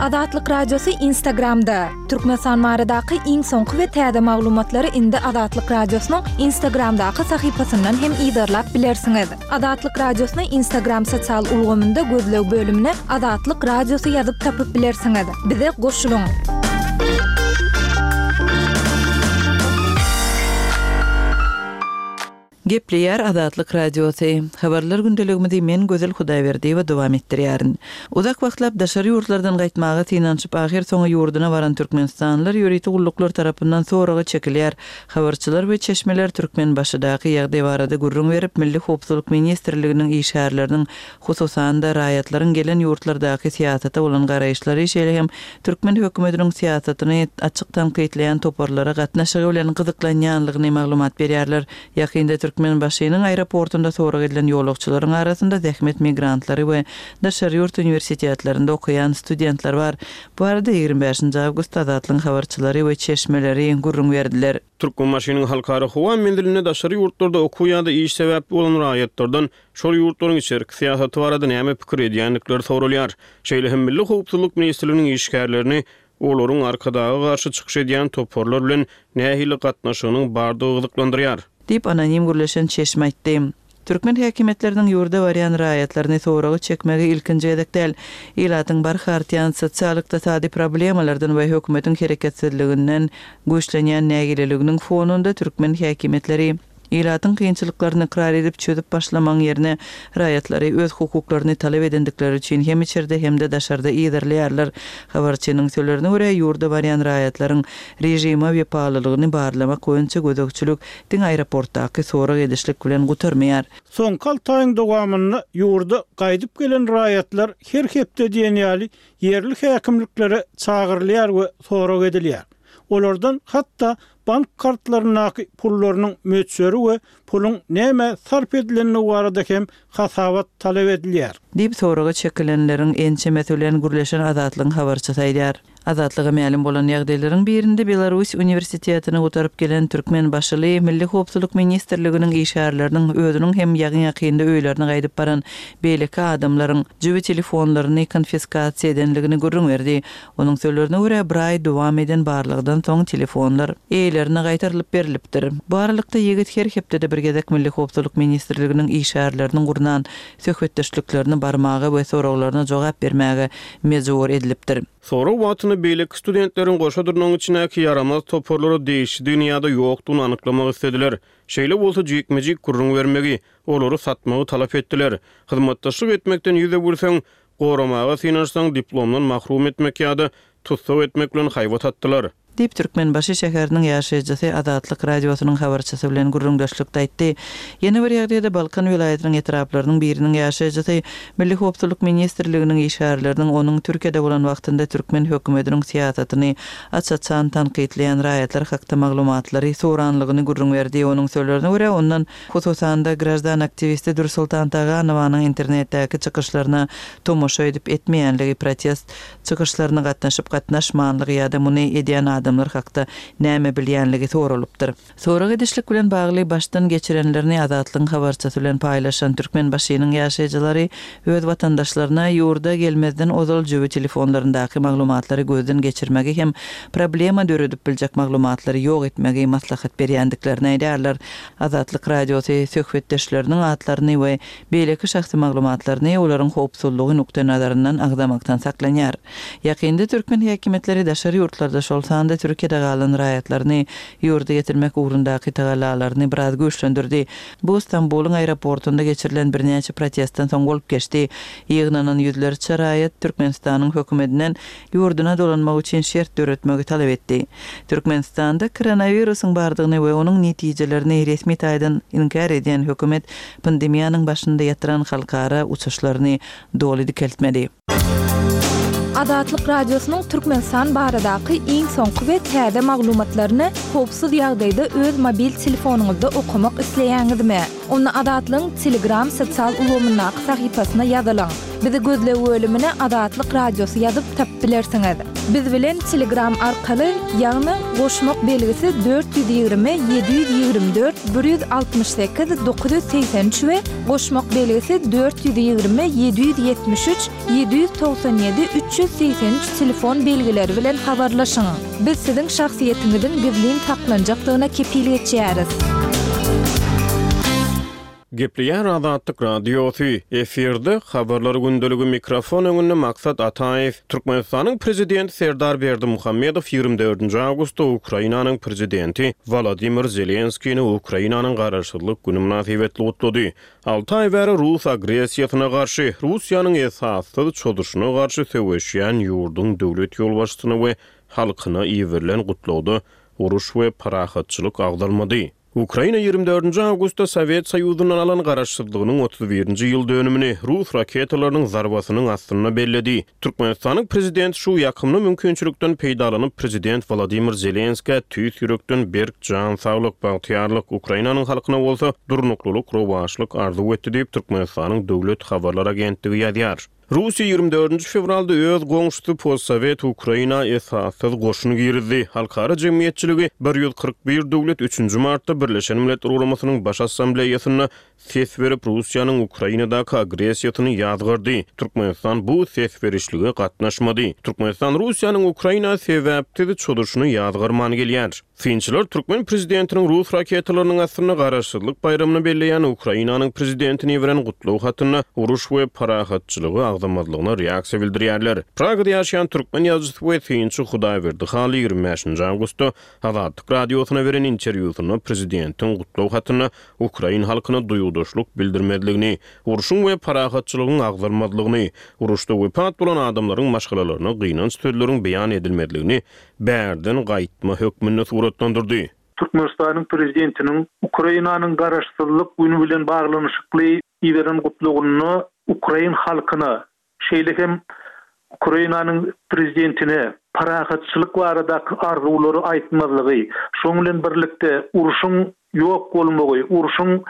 Azatlyk Radiosy Instagramda! Türkmenistan baradaky iň soňky we täze maglumatlary indi Azatlyk Radiosynyň Instagramdaky sahypasyndan hem yzarlap bilersiňiz. Azatlyk Radiosyny Instagram sosial ulgamynda gözleg bölümine Azatlyk Radiosy ýazyp tapyp bilersiňiz. Bize goşulyň! Gepleýär Azatlyk Radiosy. Habarlar gündeligimizi men Gözel Hudaýberdiýewa dowam etdirýärin. Uzak wagtlap daşary ýurtlardan gaýtmaga synanyşyp ahyrsoňy ýurduna baran türkmenistanlylar ýörite gulluklar tarapyndan soraga çekilýär. Habarçylar we çeşmeler Türkmenbaşydaky ýagdaý barada gürrüň berip, Milli howpsuzlyk ministrliginiň işgärleriniň, hususan-da, raýatlaryň gelen ýurtlardaky syýasata bolan garaýyşlary, şeýle hem türkmen hökümetiniň syýasatyny açyk tankytlaýan toparlara gatnaşygy bilen gyzyklanýanlygyny maglumat berýärler. Ýakynda Türkmenbaşynyň aeroportunda sorag edilen ýolagçylaryň arasynda zähmet migrantlary we daşary ýurt uniwersitetlerinde okaýan studentler bar. Bu barada 25-nji awgustda Azatlygyň habarçylary we çeşmeleri gürrüň berdiler. Türkmenbaşynyň Halkara howa menzilinde daşary ýurtlarda okuw ýa-da iş sebäpli bolan raýatlardan şol ýurtlaryň içerki syýasaty barada näme pikir edýändikleri soralýar. Şeýle hem Milli howpsuzlyk ministrliginiň işgärlerini olaryň Arkadaga garşy çykyş edýän toparlar bilen nähili gatnaşygynyň bardygy gyzyklandyrýar. Diýip, anonim gürleşen çeşme aýtdy. Türkmen häkimiýetleriniň ýurda barýan raýatlaryny soraga çekmegi ilkinji gezek däl. Ilatyň barha artýan sosial-ykdysady problemalardan we hökümetiň hereketsizliginden güýçlenýän nägileliginiň fonunda türkmen häkimiýetleri ilatyň kynçylyklaryny ykrar edip çözüp başlamagyň ýerine raýatlary öz hukuklaryny talap edendikleri üçin hem içerde hem-de daşarda yzarlaýarlar. Habarçynyň sözlerine görä, ýurda barýan raýatlaryň režime wepalylygyny barlamak boýunça gözegçilik diňe aeroportdaky sorag edişlik bilen gutarmaýar. Soňky alty aýyň dowamynda ýurda gaýdyp gelen raýatlar her hepde diýen ýaly ýerli häkimliklere çagyrylýar we sorag edilýär. Olardan hatda bank kartlaryndaky pullarynyň möçberi we puluň nämä sarp edilendigi barada hem hasabat talap edilýär. Diýip, soraga çekilenleriň ençemesi bilen gürleşen Azatlygyň habarçysy aýdýar. Azatlyga mälim bolan ýagdaýlaryň birinde Belarus uniwersitetini gutaryp gelen türkmenbaşyly Milli howpsuzlyk ministrliginiň işgärleriniň özüniň hem ýaňy-ýakynda öýlerine gaýdyp baran beýleki adamlaryň jübi telefonlaryny konfiskasiýa edenligini gürrüň berdi. Onuň sözlerine görä, bir aý dowam eden barlagdan soň telefonlar eýelerine gaýtarylyp berlipdir. Bu aralykda ýigit her hepdede bir gezek Milli howpsuzlyk ministrliginiň işgärleriniň gurnan söhbetdeşliklerine barmaga we soraglaryna jogap bermäge mejbur edilipdir. Sorag wagtynda beýleki studentleriň goşa dyrnagyň içindäki ýaramaz toparlara degişlidigini ýa-da ýokdugyny anyklamak islediler. Şeýle bolsa jikme-jik gürrüň bermegi, olary satmagy talap etdiler. Hyzmatdaşlyk etmekden ýüz öwürseň, Goramaga synanyşsaň diplomdan mahrum etmek ýa-da tussag etmek bilen haýbat atdylar. Diýip, Türkmenbaşy şäheriniň ýaşaýjysy Azatlyk Radiosynyň habarçysy bilen gürrüňdeşlikde aýtdy. Ýene bir ýagdaýda Balkan welaýatynyň etraplarynyň biriniň ýaşaýjysy Milli howpsuzlyk ministrliginiň işgärleriniň onuň Türkiýede bolan wagtynda türkmen hökümetiniň syýasatyny aç-açan tankytlaýan raýatlar hakda maglumatlary soranlygyny gürrüň berdi. Onuň sözlerine görä, ondan Hususan-da, graždan aktiwisti Dürsoltan Taganowanyň internetdäki çykyşlaryna tomaşa edip etmeýänligi, protest çykyşlaryna gatnaşyp gatnaşmanlygy ýa-da muny edýän adamlar hakda näme bilýänligi soralypdyr. Sorag edişlik bilen bagly başdan geçirenlerini Azatlygyň habarçysy bilen paýlaşan Türkmenbaşynyň ýaşaýjylary öz watandaşlaryna ýurda gelmezden ozal jübi telefonlaryndaky maglumatlary gözden geçirmegi hem problema döredip biljek maglumatlary ýok etmegi maslahat berýändiklerini aýdýarlar. Azatlyk Radiosy söhbetdeşleriniň atlaryny we beýleki şahsy maglumatlaryny olaryň howpsuzlygy nukdaýnazaryndan agzamakdan saklanýar. Ýakynda türkmen häkimiýetleri daşary ýurtlarda, şol sanda Türkiýede galan raýatlaryny ýurda getirmek ugrundaky tagallalaryny biraz güýçlendirdi. Bu Stambulyň aeroportunda geçirilen birnäçe protestden soň bolup geçdi. Ýygnanan ýüzlerçe raýat Türkmenistanyň hökümetinden ýurduna dolanmak üçin şert döretmegi talap etdi. Türkmenistanda koronawirusyň bardygyny we onuň netijelerini resmi taýdan inkär edýän hökümet pandemiýanyň başynda ýatyran halkara uçuşlaryny doly dikeltmedi. Azatlyk Radiosynyň Türkmenistan baradaky iň soňky we täze maglumatlaryny howpsuz ýagdaýda öz mobil telefonyňyzda okamak isleýäňizmi? Onda Azatlygyň Telegram sosial ulgamyndaky sahypasyna ýazylyň. Bizi gözleg bölümine Azatlyk Radiosy ýazyp tapyp bilersiňiz. Biz bilen Telegram arkaly, ýagny goşmak belgisi 420 724 168 983 we goşmak belgisi 420 773 797 383 telefon belgileri bilen habarlaşyň. Biz siziň şahsyýetiňiziň gizlin saklanjakdygyna kepil geçýäris. Gepleýär Azatlyk Radiosy, efirde, Habarlar gündeligi, mikrofon öňünde Maksat Ataýew. Türkmenistanyň Prezidenti Serdar Berdimuhamedow 24-nji awgustda Ukrainanyň Prezidenti Wolodymyr Zelenskini Ukrainanyň Garaşsyzlyk güni mynasybetli gutlady. Alty aý bäri rus agressiýasyna garşy, Russiýanyň esassyz çozuşyna garşy söweşýän ýurduň döwlet ýolbaşçysyna we halkyna iberilen gutlagda uruş we parahatçylyk agzalmady. Ukraina ýigrimi dördünji awgustda Sowet Soýuzyndan alan garaşsyzlygynyň 31-nji ýyl dönümini rus raketalarynyň zarbasynyň astynda belledi. Türkmenistanyň Prezidenti şu ýakymly mümkinçilikden peýdalanyp, Prezident Wolodymyr Zelenskä tüýs ýürekden berk jan saglyk, bagtyýarlyk, Ukrainanyň halkyna bolsa durnuklylyk, rowaçlyk arzuw etdi diýip, Türkmenistanyň Döwlet habarlar agentligi ýazýar. Russiýa 24-nji fewralda öz goňşusy postsowet Ukraina esassyz goşun girizdi. Halkara jemgyýetçiligi 141 döwlet üçünji martda Birleşen Milletler Guramasynyň Baş Assambleýasynda ses berip, Russiýanyň Ukrainadaky agressiýasyny ýazgardy. Türkmenistan bu ses berişlige gatnaşmady. Türkmenistan Russiýanyň Ukraina sebäpsiz çozuşyny ýazgarman gelýär. Synçylar türkmen prezidentiniň rus raketalarynyň astynda Garaşsyzlyk baýramyny belleýän Ukrainanyň prezidentine iberen gutlag hatynda uruş we parahatçylygy agzamazlygyna reaksiýa bildirýärler. Pragada ýaşaýan türkmen ýazyjysy we synçy Hudaýberdi Hally 25 awgustda Azatlyk Radiosyna beren interwýusynda prezidentiň gutlag hatynda ukrain halkyna duýgudaşlyk bildirmezligini, urşuň we parahatçylygyň agzalmazlygyny, uruşda wepat bolan adamlaryň maşgalalaryna gynanç sözleriň beýan edilmezligini bärden gaýtma hökmünde suratlandyrdy. Türkmenistanyň Prezidentiniň Ukrainanyň Garaşsyzlyk güni bilen baglanyşykly iberen gutlagynda ukrain halkyna, şeýle hem Ukrainanyň Prezidentine parahatçylyk baradaky arzuwlary aýtmazlygy, şonuň bilen birlikde urşuň ýok bolmagy, urşuň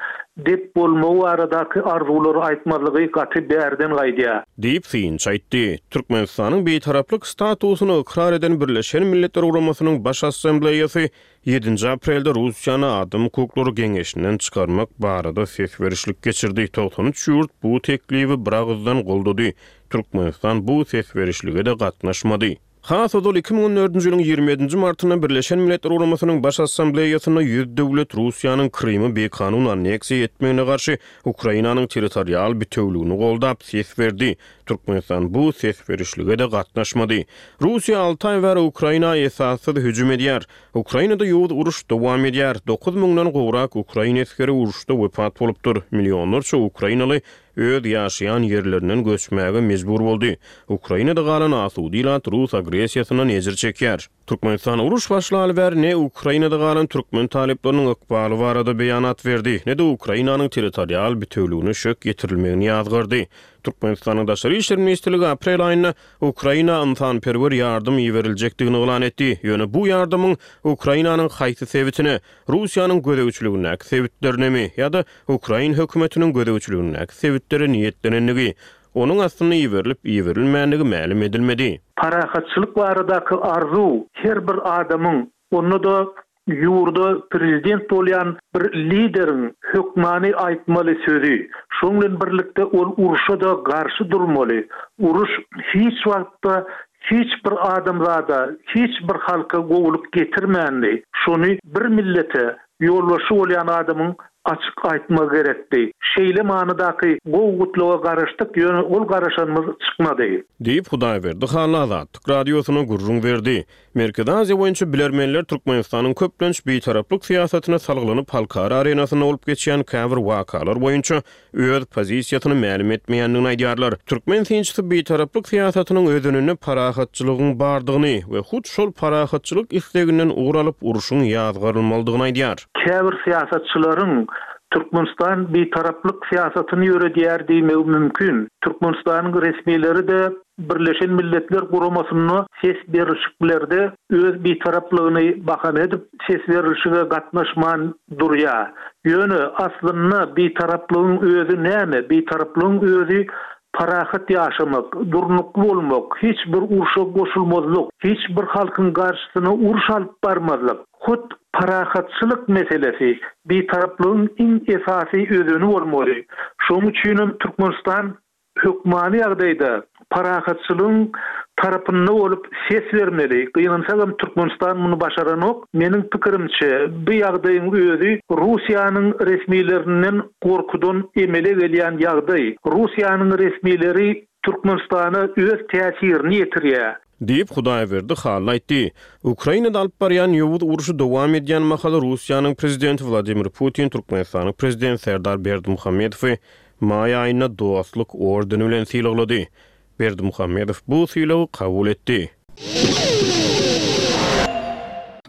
dep bolmagy baradaky arzuwlary aýtmazlygy gaty bärden gaýdýar. Diýip, synçy aýtdy. Türkmenistanyň Bitaraplyk statusyny ykrar eden Birleşen Milletler Guramasynyň Baş Assambleýasy ýedinji aprelde Russiýany Adam hukuklary geňeşinden çykarmak barada ses berişlik geçirdi. 93 ýurt bu teklibi biragyzdan goldady. Türkmenistan bu ses berişlige-de gatnaşmady. Has ozal 2014-nji ýylyň 27-nji martynda Birleşen Milletler Guramasynyň Baş Assambleýasynda 100 döwlet Russiýanyň Krymy bikanun anneksiýa etmegine garşy Ukrainanyň territorial bitewüligini goldap ses berdi. Türkmenistan bu ses berişlige-de gatnaşmady. Russiýa alty aý bäri Ukraina esassyz hüjüm edýär. Ukrainada ýowuz uruş dowam edýär. Dokuz müňden gowrak ukrain esgeri uruşda wepat bolupdyr. Millionlarça ukrainaly öz ýaşaýan ýerlerinden göçmäge mejbur boldy. Ukrainada galan asuda ilat rus agressiýasyndan ejir çekýär. Türkmenistan uruş başlaly bäri ne Ukrainada galan türkmen talyplarynyň ykbaly barada beýanat berdi, ne-de Ukrainanyň territorial bitewüligine şök ýetirilmegini ýazgardy. Türkmenistanyň Daşary işler ministrligi aprel aýynda Ukraina ynsanperwer ýardam iberiljekdigini yglan etdi. Ýöne bu ýardamyň Ukrainanyň haýsy sebitine, Russiýanyň gözegçiligindäki sebitlerinemi ýa-da ukrain hökümetiniň gözegçiligindäki sebitlere niýetlenendigi, onuň aslynda iberilip-iberilmändigi mälim edilmedi. Parahatçylyk baradaky arzuw her bir adamyň, onda-da ýurda prezident bolýan bir lideriň hökmany aýtmaly sözi. Şonuň bilen birlikde ol urşa-da garşy durmaly. Uruş hiç wagtda hiç bir adamzada, hiç bir halka gowulyk getirmändi. Şony bir millete ýolbaşçy bolýan adamyň açyk aýtmagy gerekdi. Şeýle manydaky gowy gutlaga garaşdyk, ýöne ol garaşanymyz çykmady. Diýip, Hudaýberdi Hally Azatlyk Radiosyna gürrüň berdi. Merkezi Aziýa boýunça bilermenler Türkmenistanyň köplenç bitaraplyk syýasatyna salgylanyp halkara arenasynda bolup geçýän käbir wakalar boýunça öz pozisiýasyny mälim etmeýändigini aýdýarlar. Türkmen synçysy bitaraplyk syýasatynyň özeninde parahatçylygyň bardygyny we hut şol parahatçylyk isleginden ugur alyp urşuň ýazgarylmalydygyny aýdýar. Käbir syýasatçylaryň Türkmenistan bitaraplyk syýasatyny ýöredýär diýmegi mümkin. Türkmenistanyň resmileri-de Birleşen Milletler Guramasynda ses berlişiklerde öz bitaraplygyny bahana edip, ses berlişige gatnaşman durýar. Ýöne, aslynda, bitaraplygyň özi näme? Bitaraplygyň özi. Parahat ýaşamak, durnukly bolmak, hiç bir urşa goşulmazlyk, hiç bir halkyň garşysyna uruş alyp barmazlyk, hut parahatçylyk meselesi Bitaraplygyň iň esasy özeni bolmaly. Şonuň üçinem Türkmenistan hökmany ýagdaýda parahatçylygyň tarapynda bolup ses bermeli. Gynansagam Türkmenistan muny başaranok. Meniň pikirimçe, bu ýagdaýyň özi Russiýanyň resmilerinden gorkudan emele gelýän ýagdaý. Russiýanyň resmileri Türkmenistana öz täsirini ýetirýär. Diýip, Hudaýberdi Hally aýtdy. Ukrainada alyp barýan ýowuz urşy dowam edýän mahaly Russiýanyň Prezidenti Wladimir Putin Türkmenistanyň Prezidenti Serdar Berdimuhamedowy maý aýynda Dostluk ordeni bilen sylaglady. Berdimuhamedow bu sylagy kabul etdi.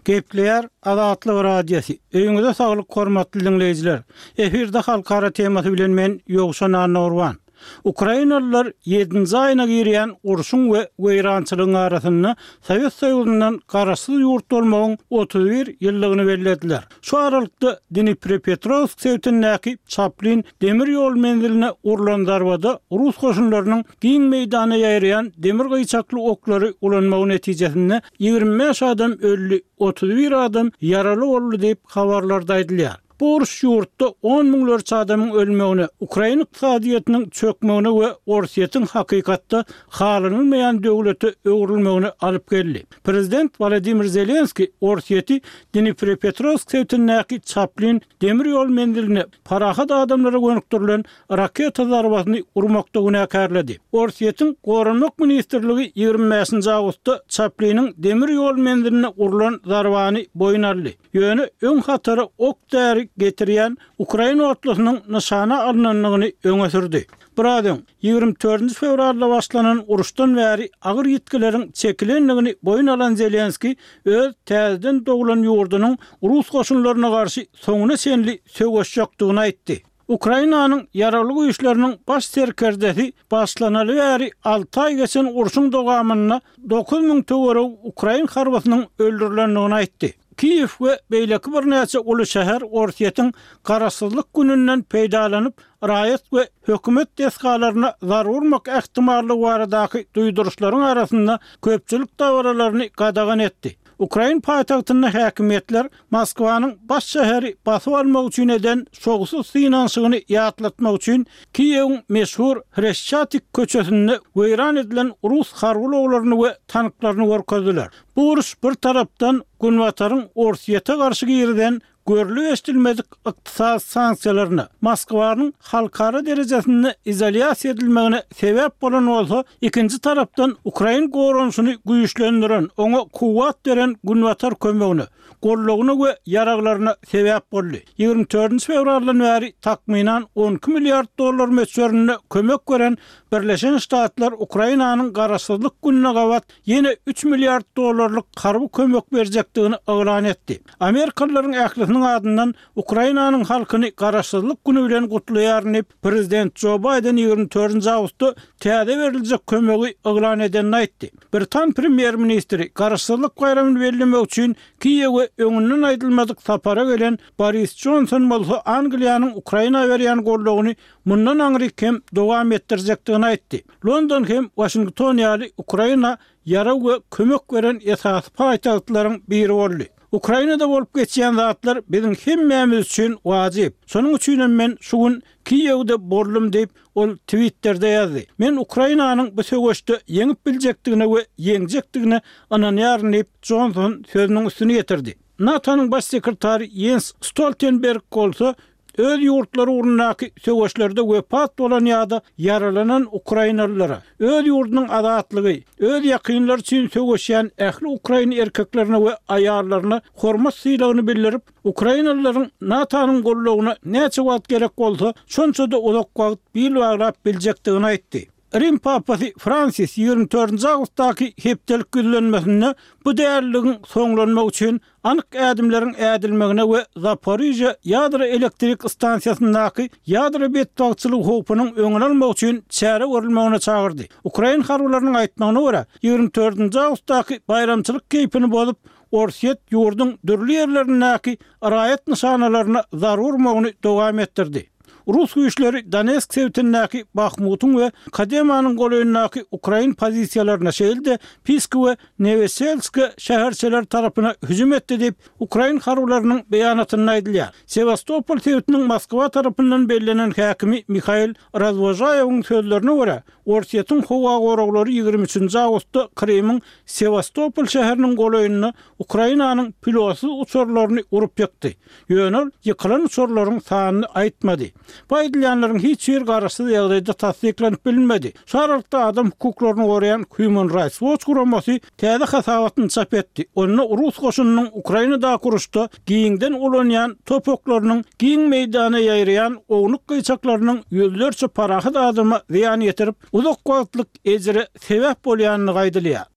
Gepleýär Azatlyk Radiosy. Öýüňize saglyk hormatly diňleýjiler. Efirde halkara temasy bilen men Ýowşan Annagurban. Ukrainalylar ýedinji aýyna girýän urşuň we weýrançylygyň arasynda Sowet Soýuzyndan garaşsyz ýurt bolmagyň 31 ýyllygyny bellediler. Şu aralykda Dniprepetrowsk sebitindäki Çaplin demir ýol menziline urlan zarbada rus goşunlarynyň giň meýdana ýaýraýan demir gyýçakly oklary ulanmagy netijesinde 25 adam öldi, 31 adam ýaraly boldy diýip, habarlarda aýdylýar. Bu uruş ýurtda on müňlerçe adamyň ölmegine, ukrain ykdysadyýetiniň çökmegine we Orsýetiň hakykatda halanylmaýan döwlete öwrülmegine alyp geldi. Prezident Wolodymyr Zelenskiý Orsýeti Dniprepetrowsk sebitindäki Çaplin demir ýol menziline parahat adamlara gönükdirilen raketa zarbasyny urmakda günäkärledi. Orsýetiň Goranmak ministrligi 25-nji awgustda Çapliniň demir ýol menziline urlan zarbany boýun aldy. Ýöne öň hatara ok-däri getirýän ukrain otlusynyň nyşana alnandygyny öňe sürdi. Biraz öň, 24 nji fewralda başlanan uruşdan bäri agyr ýitgileriň çekilendigini boýun alan Zelenskiý öz täzeden doglan ýurdunyň rus goşunlaryna garşy soňuna çenli söweşjekdigini aýtdy. Ukrainanyň Ýaragly Güýçleriniň baş serkerdesi başlanaly bäri alty aý geçen urşuň dowamynda 9000 töweregi ukrain harbysynyň öldürilendigini aýtdy. Kiýew we beýleki birnäçe uly şäher Orsýetiň Garaşsyzlyk gününden peýdalanyp, raýat we hökümet desgalaryna zarba urmak ähtimallygy baradaky duýduryşlaryň arasynda köpçülik dabaralaryny gadagan etdi. Ukrain paýtagtynda häkimiýetler Moskwanyň baş şäheri basyp almak üçin eden şowsuz synanyşygyny ýatlatmak üçin Kiýewiň meşhur Hreşçatik köçesinde weýran edilen rus harby ulaglaryny we tanklaryny görkezdiler. Bu uruş bir tarapdan Günbataryň Orsýete garşy girizen görlüp-eşidilmedik ykdysady sanksiýalaryna, Moskwanyň halkara derejesinde izolýasiýa edilmegine sebäp bolan bolsa, ikinji tarapdan ukrain goranyşyny güýçlendiren, oňa kuwwat beren Günbatar kömegine, goldawyna we ýaraglaryna sebäp boldy. 24 fewraldan bäri takmynan 12 milliard dollar möçberinde kömek beren Birleşen Ştatlar Ukrainanyň Garaşsyzlyk gününe gabat ýene üç milliard dollarlyk harby kömek berjekdigini yglan etdi. Amerikalylaryň ählisiniň adyndan Ukrainanyň halkyny Garaşsyzlyk güni bilen gutlaýaryn diýip, prezident Jo Baýden 24 awgustda täze beriljek kömegi yglan edenini aýtdy. Britan premýer-ministri Garaşsyzlyk baýramyny bellemek üçin Kiýewe öňünden aýdylmadyk sapara gelen Boris Jonson bolsa Angliýanyň Ukraina berýän goldawyny mundan aňryk hem dowam etdirjekdigini aýtdy. London hem Waşington ýaly Ukraina ýarag we kömek beren esasy paýtagtlaryň biri boldy. Ukrainada bolup geçýän zatlar biziň hemmämiz üçin wajyp. Şonuň üçinem men şu gün Kiýewde boldum diýip, ol Twitterde ýazdy. Men Ukrainanyň bu söweşde ýeňip biljekdigine we ýeňjekdigine ynanýaryn diýip, Jonson sözüniň üstüni ýetirdi. NATO-nyň baş sekretary Ýens Stoltenberg bolsa öz ýurtlary ugrundaky söweşlerde wepat bolan ýa-da ýaralanan ukrainalylara, öz ýurdunyň azatlygy, öz ýakynlary üçin söweşýän ähli ukrain erkeklerine we aýallaryna hormat-sylagyny bildirip, ukrainalylaryň NATO-nyň goldawyna näçe wagt gerek bolsa, şonça-da uzak wagt bil baglap biljekdigini aýtdy. Rim papasy Fransis 24 awgustdaky hepdelik ýüzlenmesinde bu däliligiň soňlanmagy üçin anyk ädimleriň ädilmegine we Zaporižýa ýadro elektrik stansiýasyndaky ýadro betbagtçylygy howpunyň öňüni almak üçin çäre görülmegine çagyrdy. Ukrain harbylarynyň aýtmagyna görä, 24 awgustdaky baýramçylyk keýpini bozup, Orsýet ýurduň dürli ýerlerindäki raýat nyşanalaryna zarba urmagyny dowam etdirdi. Rus güýçleri Donetsk sebitindäki Bahmutyň we Kodemanyň golaýyndaky ukrain pozisiýalaryna, şeýle-de Piski we Neweselske şäherçeleri tarapyna hüjüm etdi diýip, ukrain harbylarynyň beýanatynda aýdylýar. Sewastopol sebitiniň Moskwa tarapyndan bellenen häkimi Mihail Razwožaýewiň sözlerine görä, Orsýetiň howa goraglary 23 nji awgustda Krymyň Sewastopol şäheriniň golaýynda Ukrainanyň pilotsyz uçarlaryny urup ýykdy. Ýöne ol ýykylan uçarlaryň sanyny aýtmady. Bu aýdylýanlaryň hiç biri garaşsyz ýagdaýda tassyklanyp bilinmedi. Şu aralykda adam hukuklaryny goraýan Human Rights Watch guramasy täze hasabatyny çap etdi. Onda rus goşunynyň Ukrainadaky uruşda giňden ulanýan top oklarynyň giň meýdana ýaýraýan ownuk gyýçaklarynyň ýüzlerçe parahat adama zyýan ýetirip, uzak wagtlyk ejire sebäp bolýandygy aýdylýar.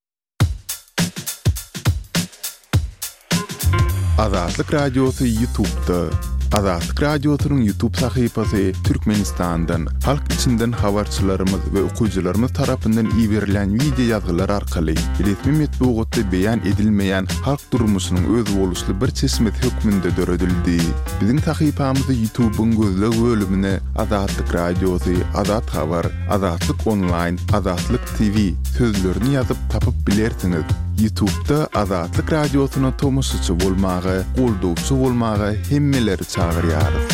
Azatlyk Radiosy Ýutubda. Azatlyk Radiosynyň Ýutub sahypasy Türkmenistandan, halk içinden habarçylarymyz we okyjylarymyz tarapyndan iberilen wideo ýazgylar arkaly resmi metbugatda beýan edilmeýän halk durmuşynyň özboluşly bir çeşmesi hökmünde döredildi. Biziň sahypamyzy Ýutubyň gözleg bölümine Azatlyk Radiosy, Azat Habar, Azatlyk Onlaýn, Azatlyk TV sözlerini ýazyp tapyp bilersiňiz. Ýutubda Azatlyk Radiosyna tomaşaçy bolmaga, goldawçy bolmaga hemmeleri çagyrýarys.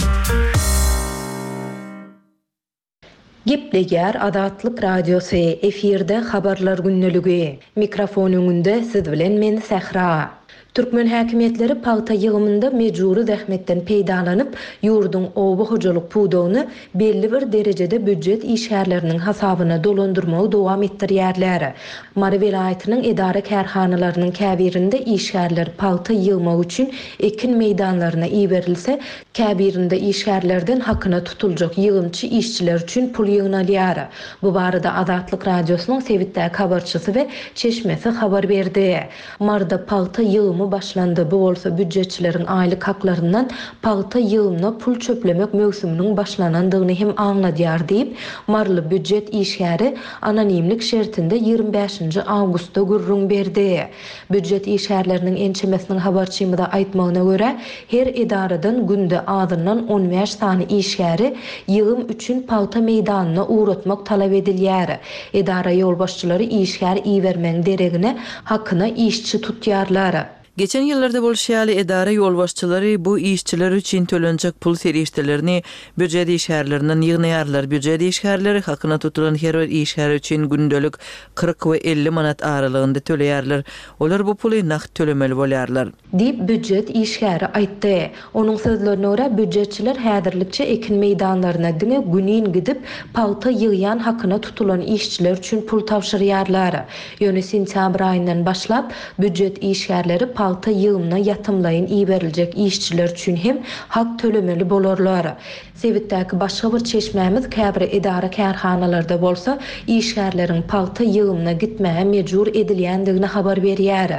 Gepleýär Azatlyk Radiosy, efirde Habarlar gündeligi. Mikrofon öňünde siz bilen men Sähra. Türkmen häkimiýetleri pagta ýygymynda mejbury zähmetden peýdalanyp, ýurduň oba hojalyk pudagyny belli bir derejede býujet işgärleriniň hasabyna dolandyrmagy dowam etdirýärler. Mary welaýatynyň edara-kärhanalarynyň käbirinde işgärler pagta ýygmak üçin ekin meýdanlaryna iberilse, käbirinde işgärlerden hakyna tutuljak ýygymçy işçiler üçin pul ýygnalýar. Bu barada Azatlyk Radiosynyň sebitdäki habarçysy we çeşmesi habar berdi. Maryda pagta ýygymy başlandy, bu bolsa býujetçileriň aýlyk haklaryndan pagta ýygymyna pul çöplemek möwsüminiň başlanandygyny hem aňladýar diýip, maryly býujet işgäri anonimlik şertinde 25 nji awgustda gürrüň berdi. Býujet işgärleriniň ençemesiniň habarçymyza aýtmagyna görä, her edaradan günde azyndan 15 sany işgäri ýygym üçin pagta meýdanyna ugratmak talap edilýär. Edara ýolbaşçylary işgär ibermegiň deregine hakyna işçi tutýarlar. Geçen ýyllarda bolşy ýaly, edara ýolbaşçylary bu işçiler üçin tölenjek pul serişdelerini býujet işgärlerinden ýygnaýarlar. Býujet işgärleri hakyna tutulan her bir işgär üçin gündelik 40 we 50 manat aralygynda töleýärler. Olar bu puly nagt tölemeli bolýarlar. Diýip, býujet işgäri aýtdy. Onuň sözlerine görä, býujetçiler häzirlikçe ekin meýdanlaryna diňe günin gidip, pagta ýygýan hakyna tutulan işçiler üçin pul tabşyrýarlar. Ýöne sentýabr aýyndan başlap, býujet işgärleri pagta ýygymyna ýatymlaýyn iberiljek işçiler üçin hem hak tölemeli bolarlar. Sebitdäki başga bir çeşmämiz käbir edara-kärhanalarda bolsa, işgärleriň pagta ýygymyna gitmäge mejbur edilýändigini habar berýär.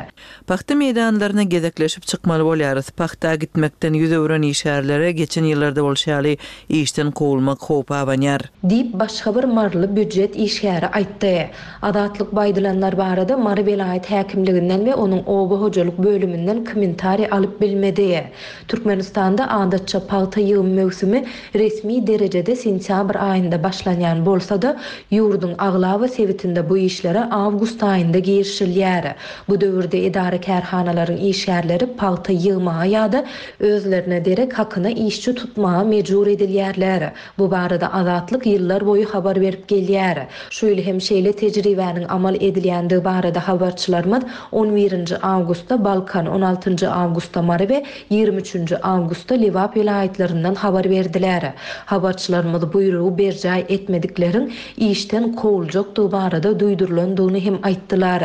Pagta meýdanlaryna gezekleşip çykmaly bolýarys. Pagta gitmekden ýüz öwren işgärlere geçen ýyllarda bolşy ýaly işden kowulmak howpy abanýar. Diýip, başga bir maryly býujet işgäri aýtdy. Azatlyk bu aýdylanlar barada Mary welaýat häkimliginden we onuň oba hojalyk bölüminden kommentariý alyp bilmedi. Türkmenistanda adatça pagta ýygym möwsümi resmi derejede sentýabr aýynda başlanýan bolsa-da, ýurduň aglaba sebitinde bu işlere awgust aýynda girişilýär. Bu döwürde edara-kärhanalaryň işgärleri pagta ýygmaga ýa-da özlerine derek hakyna işçi tutmaga mejbur edilýärler. Bu barada Azatlyk ýyllar boýy habar berip gelýär. Şu ýyl hem şeýle tejribäniň amal edilýändigi barada habarçylarymyz on birinji awgustda Balkan, on altynjy awgustda Mary we 23 üçünji awgustda Lebap welaýatlaryndan habar berdiler. Habarçylarymyz buýrugy berjaý etmedikleriň işden kowuljakdygy barada duýdurylandygyny hem aýtdylar.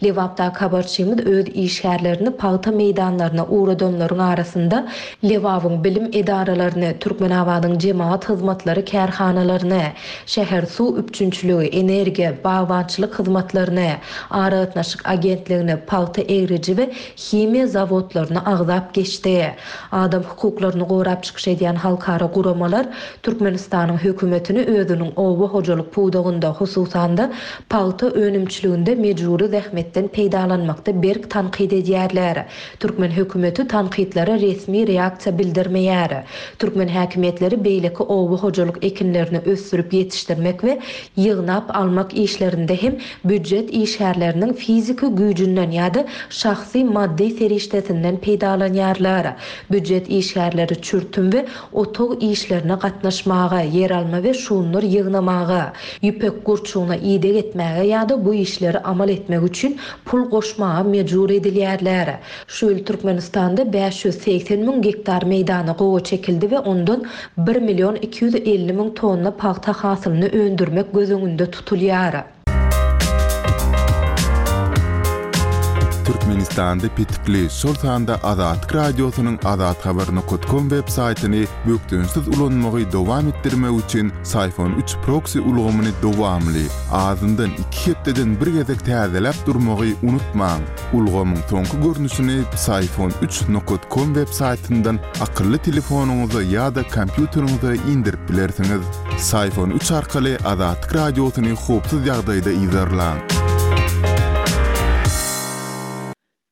Lebapdaky habarçymyz öz işgärlerini pagta meýdanlaryna ugradanlaryň arasynda Lebabyň bilim edaralaryny, Türkmenabadyň jemagat hyzmatlary kärhanalaryny, şäher suw üpjünçiligi, energiýa, bagbançylyk hyzmatlaryny, aragatnaşyk agentligini, pagta egriji we. himiýa zawodlaryny agzap geçdi. Adam hukuklaryny gorap çykyş edýän halkara guramalar Türkmenistanyň hökümetini özüniň oba hojalyk pudagynda, hususan-da, pagta önümçiliginde mejbury zähmetden peýdalanmakda berk tankyt edýärler. Türkmen hökümeti tankytlara resmi reaksiýa bildirmeýär. Türkmen häkimiýetleri beýleki oba hojalyk ekinlerini ösdürip ýetişdirmek we ýygnap almak işlerinde hem býujet işgärleriniň fiziki güýjünden ýa-da şahsy maddy serişdesinden peýdalanýarlar. Býujet işgärleri çürtüm we otag işlerine gatnaşmaga, ýeralma we şundur ýygnamaga, ýüpek gurçugyna ideg etmäge ýa-da bu işleri amal etmek üçin pul goşmaga mejbur edilýärler. Şu ýyl Türkmenistanda 580 müň gektar meýdana gowaça ekildi we ondan bir million 250 müň tonna pagta hasylyny öndürmek göz öňünde tutulýar. Türkmenistanda petikli, şol sanda Azatlyk Radiosynyň azathabar nokat kom web saýtyny bökdençsiz ulanmagy dowam etdirmek üçin Syfon üç proksi ulgamyny dowamly, azyndan iki hepdeden bir gezek täzeläp durmagy unutmaň. Ulgamyň soňky görnüşini Psiphon üç nokat kom web saýtyndan akylly telefonyňyza ýa-da kompýuteriňize indirip bilersiňiz. Psiphon üç arkaly Azatlyk Radiosyny howpsuz ýagdaýda yzarlaň.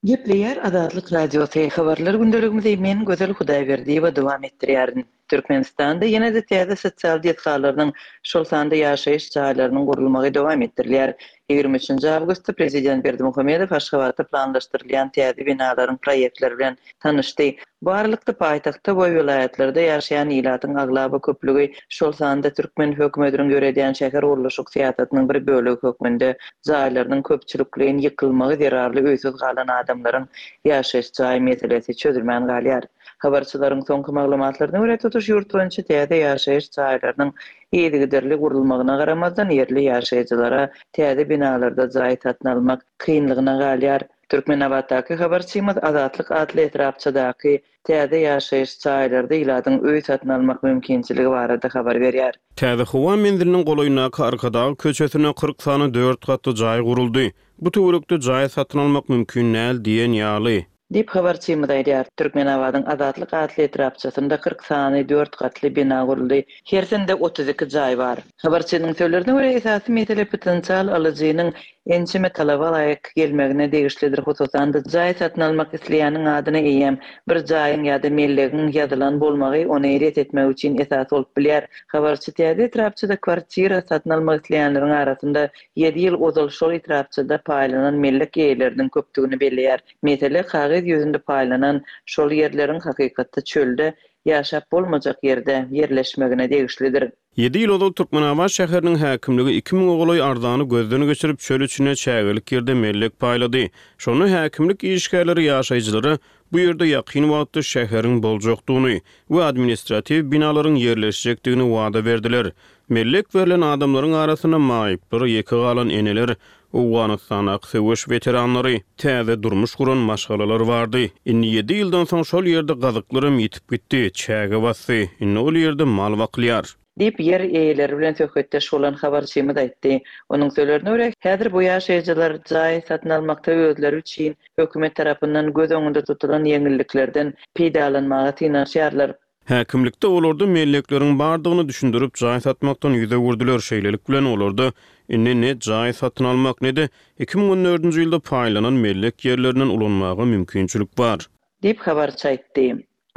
Gepleýär Azatlyk Radiosy, Habarlar gündeligimizi men Gözel Hudaýberdiýewa dowam etdirýärin. Türkmenistanda ýene-de täze sosial desgalarynyň, şol sanda ýaşaýyş jaýlarynyň gurulmagy dowam etdirilýär. 23 awgustda prezident Berdimuhamedow Aşgabatda planlaşdyrylýan täze binalaryň proýektleri bilen tanyşdy. Bu aralykda, paýtagtda we welaýatlarda ýaşaýan ilatyň aglaba köplügi, şol sanda türkmen hökümetiniň ýöredýän şäher gurluşyk syýasatynyň bir bölegi hökmünde jaýlarynyň köpçülikleýin ýykylmagy zerarly öýsüz galan adamlaryň ýaşaýyş jaý meselesi çözülmän galýar. Habarçylaryň soňky maglumatlaryna görä, tutuş ýurt boýunça täze ýaşaýyş jaýlarynyň yzygiderli gurulmagyna garamazdan, ýerli ýaşaýjylara täze binalarda jaý satyn almak kynlygyna galýar. Türkmenabatdaky habarçymyz Azatlyk atly etrapçadaky täze ýaşaýyş jaýlarda ilatyň öý satyn almak mümkinçiligi barada habar berýär. Täze howa menziliniň golaýyndaky Arkadag köçesinde 40 sany dört gatly jaý guruldy. Bu töwerekde jaý satyn almak mümkin däl diýen ýaly. Diýip, habarçymyz aýdýar. Türkmenabadyň Azatlyk atly etrapçasynda 40 sany dört gatly bina guruldy. Hersinde 32 jaý bar. Habarçynyň sözlerine görä, esasy mesele potensial alyjynyň ençeme talaba laýyk gelmegine degişlidir, hususan-da, jaý satyn almak isleýäniň adyna eýýäm bir jaýyň ýa-da mellegiň ýazylan bolmagy ony ret etmek üçin esas bolup bilýär. Habarçy täze etrapçada kwartira satyn almak isleýänleriň arasynda ýedi ýyl ozal şol etrapçada paýlanan mellek eýeleriniň köpdügini belleýär. Mesele kagyz ýüzünde paýlanan şol ýerleriň hakykatda çölde, ýaşap bolmajak ýerde ýerleşmegine degişlidir. Ýedi ýyl ozal Türkmenabat şäheriniň häkimligi iki müňe golaý arzany gözden geçirip, çöl içinde çägelik ýerde mellek paýlady. Şonda häkimlik işgärleri ýaşaýjylara bu ýerde ýakyn wagtda şäheriň boljakdygyny we administratiw binalaryň ýerleşjekdigini wada berdiler. Mellek berlen adamlaryň arasynda maýyplar, ýeke galan eneler, Owganystandaky söweş weteranlary, täze durmuş guran maşgalalar bardy. Indi ýedi ýyldan soň şol ýerde gazyklaram ýitip gitdi, çäge basdy. Indi ol ýerde mal bakylýar. Diýip, ýer eýeleri bilen söhbetdeş bolan habarçymyz aýtdy. Onuň sözlerine görä, häzir bu ýaşaýjylar jaý satyn almakda özleri üçin hökümet tarapyndan göz öňünde tutulan ýeňilliklerden peýdalanmaga synanyşýarlar. Häkimlikde olarda mellekleriň bardygyny düşündirip, jaý satmakdan ýüz öwürdiler. Şeýlelik bilen, olarda indi ne jaý satyn almak, ne-de 2014-nji ýylda paýlanan mellek ýerlerinden ulanmaga mümkinçilik bar. Diýip, habarçy aýtdy.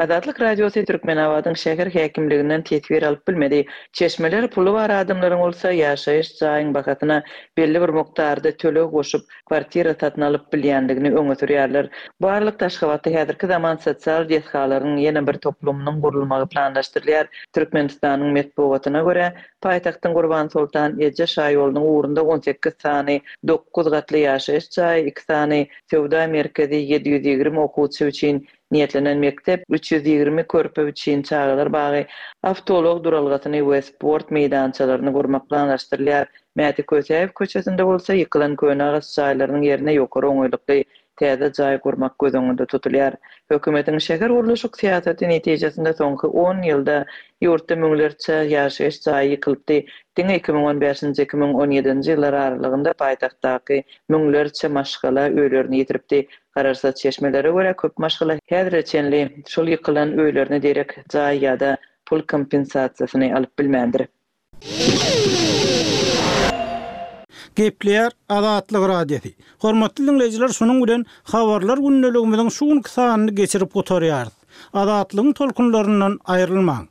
Azatlyk Radiosy Türkmenabadyň şäher häkimliginden teswir alyp bilmedi. Çeşmeler puly bar adamlaryň bolsa ýaşaýyş jaýyň bahasyna belli bir mukdarda töleg goşup, kwartira satyn alyp bilýändigini öňe sürýärler. Bu aralykda, Aşgabatda häzirki zaman sosial desgalaryň ýene bir toplumynyň gurulmagy planlaşdyrylýar. Türkmenistanyň metbugatyna görä, paýtagtyň Gurbansoltan eje şaýolunyň ugrunda 18 sany dokuz gatly ýaşaýyş jaýy, iki sany söwda merkezi, 720 okuwçy üçin niýetlenen mekdep, 320 körpe üçin çagalar bagy, awtoulag duralgasyny we sport meýdançalaryny gurmak planlaşdyrylýar. Mäti Kösäýew köçesinde bolsa ýykylan köne agaç jaýlarynyň ýerine ýokary oňaýlykly. täze jaý gurmak göz öňünde tutulýar. Hökümetiň şähergurluşyk syýasaty netijesinde soňky on ýylda ýurtda müňlerçe ýaşaýyş jaýy ýykylypdy. Diňe 2015-nji, 2017-nji ýyllar aralygynda paýtagtdaky müňlerçe maşgala öýlerini ýitiripdi. Garaşsyz çeşmelere görä, köp maşgala häzire çenli şol ýykylan öýlerine derek jaý ýa-da pul kompensasiýasyny alyp bilmändir. Gepleýär Azatlyk Radiosy. Hormatly diňleýjiler şunuň bilen Habarlar gündeligimiziň şu günki sanyny geçirip gutarýarys. Azatlygyň tolkunlaryndan aýrylmaň.